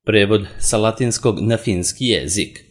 Prevod sa latinskog na finski jezik.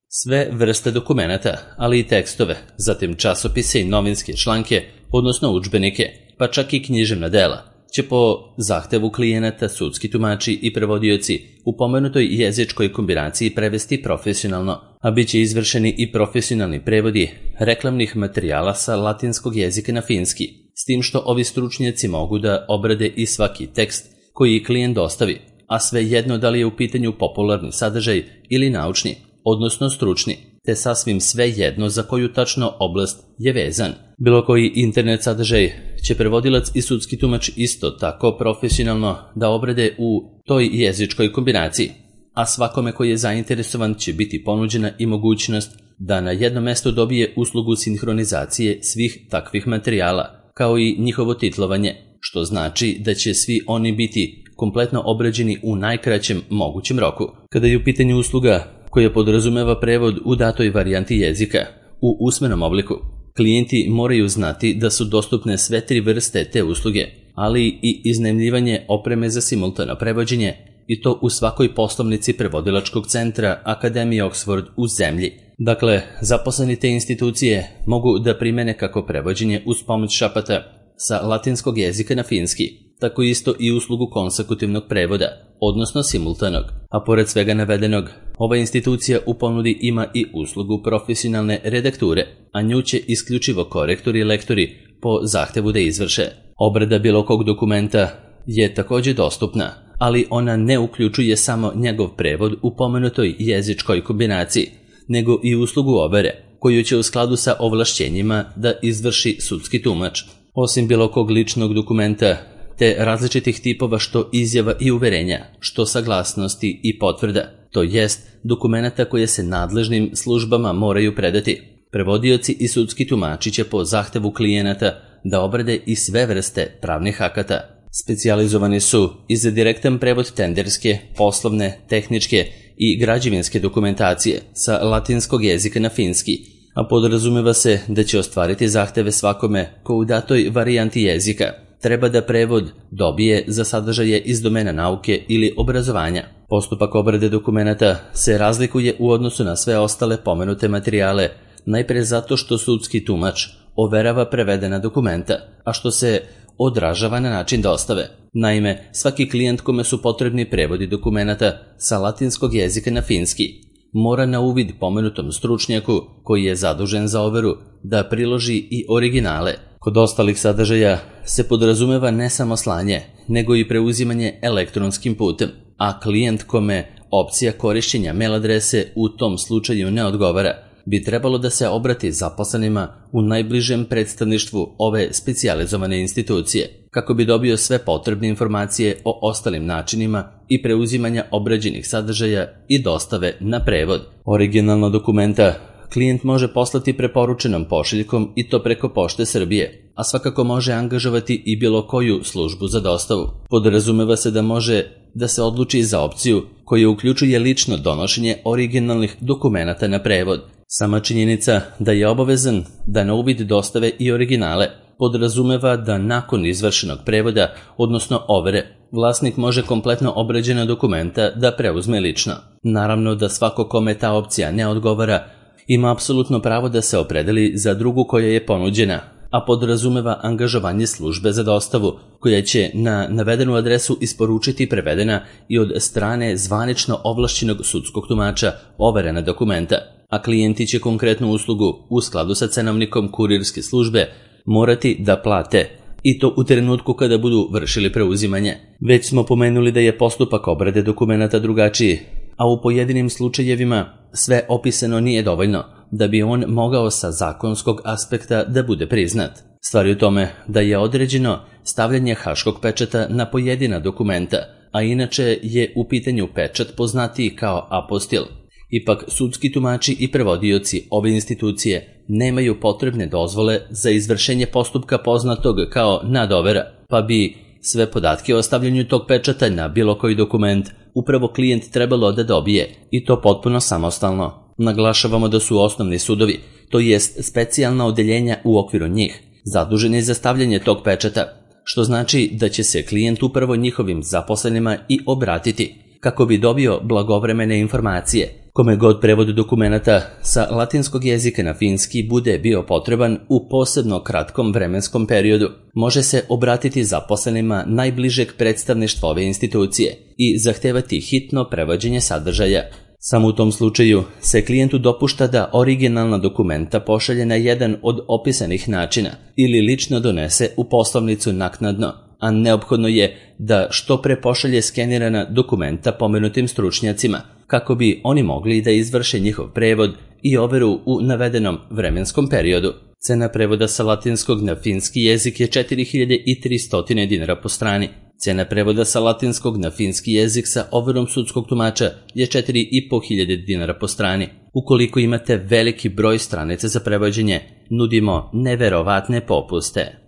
Sve vrste dokumenata, ali i tekstove, zatim časopise i novinske članke, odnosno udžbenike, pa čak i književna dela, će po zahtevu klijenata sudski tumači i prevodioci u pomenutoj jezičkoj kombinaciji prevesti profesionalno, a bit će izvršeni i profesionalni prevodi reklamnih materijala sa latinskog jezika na finski, s tim što ovi stručnjaci mogu da obrade i svaki tekst koji klijent dostavi, a sve jedno da li je u pitanju popularni sadržaj ili naučni, odnosno stručni, te sasvim sve jedno za koju tačno oblast je vezan. Bilo koji internet sadržaj će prevodilac i sudski tumač isto tako profesionalno da obrade u toj jezičkoj kombinaciji, a svakome koji je zainteresovan će biti ponuđena i mogućnost da na jednom mestu dobije uslugu sinhronizacije svih takvih materijala, kao i njihovo titlovanje, što znači da će svi oni biti kompletno obrađeni u najkraćem mogućem roku. Kada je u pitanju usluga koja podrazumeva prevod u datoj varijanti jezika u usmenom obliku, klijenti moraju znati da su dostupne sve tri vrste te usluge, ali i iznajmljivanje opreme za simultano prevođenje, i to u svakoj poslovnici prevodilačkog centra Akademije Oxford u zemlji. Dakle, zaposleni te institucije mogu da primene kako prevođenje uz pomoć šapata sa latinskog jezika na finski, tako isto i uslugu konsekutivnog prevoda, odnosno simultanog. A pored svega navedenog, ova institucija u ponudi ima i uslugu profesionalne redakture, a nju će isključivo korektori i lektori po zahtevu da izvrše. Obrada bilo kog dokumenta je također dostupna, ali ona ne uključuje samo njegov prevod u pomenutoj jezičkoj kombinaciji, nego i uslugu overe, koju će u skladu sa ovlašćenjima da izvrši sudski tumač. Osim bilo kog ličnog dokumenta, te različitih tipova što izjava i uverenja, što saglasnosti i potvrda, to jest dokumenata koje se nadležnim službama moraju predati. Prevodioci i sudski tumači će po zahtevu klijenata da obrade i sve vrste pravnih akata. Specijalizovani su i za direktan prevod tenderske, poslovne, tehničke i građevinske dokumentacije sa latinskog jezika na finski, a podrazumeva se da će ostvariti zahteve svakome ko u datoj varijanti jezika treba da prevod dobije za sadržaje iz domena nauke ili obrazovanja. Postupak obrade dokumenata se razlikuje u odnosu na sve ostale pomenute materijale, najpre zato što sudski tumač overava prevedena dokumenta, a što se odražava na način dostave. Naime, svaki klijent kome su potrebni prevodi dokumenata sa latinskog jezika na finski mora na uvid pomenutom stručnjaku koji je zadužen za overu da priloži i originale. Kod ostalih sadržaja se podrazumeva ne samo slanje, nego i preuzimanje elektronskim putem, a klijent kome opcija korišćenja mail adrese u tom slučaju ne odgovara, bi trebalo da se obrati zaposlenima u najbližem predstavništvu ove specijalizovane institucije, kako bi dobio sve potrebne informacije o ostalim načinima i preuzimanja obrađenih sadržaja i dostave na prevod. Originalno dokumenta klijent može poslati preporučenom pošiljkom i to preko Pošte Srbije, a svakako može angažovati i bilo koju službu za dostavu. Podrazumeva se da može da se odluči za opciju koja uključuje lično donošenje originalnih dokumenata na prevod. Sama činjenica da je obavezan da na uvid dostave i originale podrazumeva da nakon izvršenog prevoda, odnosno overe, vlasnik može kompletno obrađena dokumenta da preuzme lično. Naravno da svako kome ta opcija ne odgovara ima apsolutno pravo da se opredeli za drugu koja je ponuđena, a podrazumeva angažovanje službe za dostavu koja će na navedenu adresu isporučiti prevedena i od strane zvanično ovlašćenog sudskog tumača overena dokumenta, a klijenti će konkretnu uslugu u skladu sa cenovnikom kurirske službe morati da plate, i to u trenutku kada budu vršili preuzimanje. Već smo pomenuli da je postupak obrade dokumenata drugačiji, a u pojedinim slučajevima sve opisano nije dovoljno da bi on mogao sa zakonskog aspekta da bude priznat. Stvar je u tome da je određeno stavljanje haškog pečata na pojedina dokumenta, a inače je u pitanju pečat poznatiji kao apostil. Ipak sudski tumači i prevodioci ove institucije nemaju potrebne dozvole za izvršenje postupka poznatog kao nadovera, pa bi sve podatke o stavljanju tog pečata na bilo koji dokument upravo klijent trebalo da dobije, i to potpuno samostalno. Naglašavamo da su osnovni sudovi, to jest specijalna odeljenja u okviru njih, zaduženi za stavljanje tog pečata, što znači da će se klijent upravo njihovim zaposlenima i obratiti kako bi dobio blagovremene informacije. Kome god prevod dokumenata sa latinskog jezika na finski bude bio potreban u posebno kratkom vremenskom periodu, može se obratiti zaposlenima najbližeg predstavništva ove institucije i zahtevati hitno prevođenje sadržaja. Samo u tom slučaju se klijentu dopušta da originalna dokumenta pošalje na jedan od opisanih načina ili lično donese u poslovnicu naknadno, a neophodno je da što pre pošalje skenirana dokumenta pomenutim stručnjacima, kako bi oni mogli da izvrše njihov prevod i overu u navedenom vremenskom periodu. Cena prevoda sa latinskog na finski jezik je 4300 dinara po strani. Cena prevoda sa latinskog na finski jezik sa overom sudskog tumača je 4500 dinara po strani. Ukoliko imate veliki broj stranica za prevođenje, nudimo neverovatne popuste.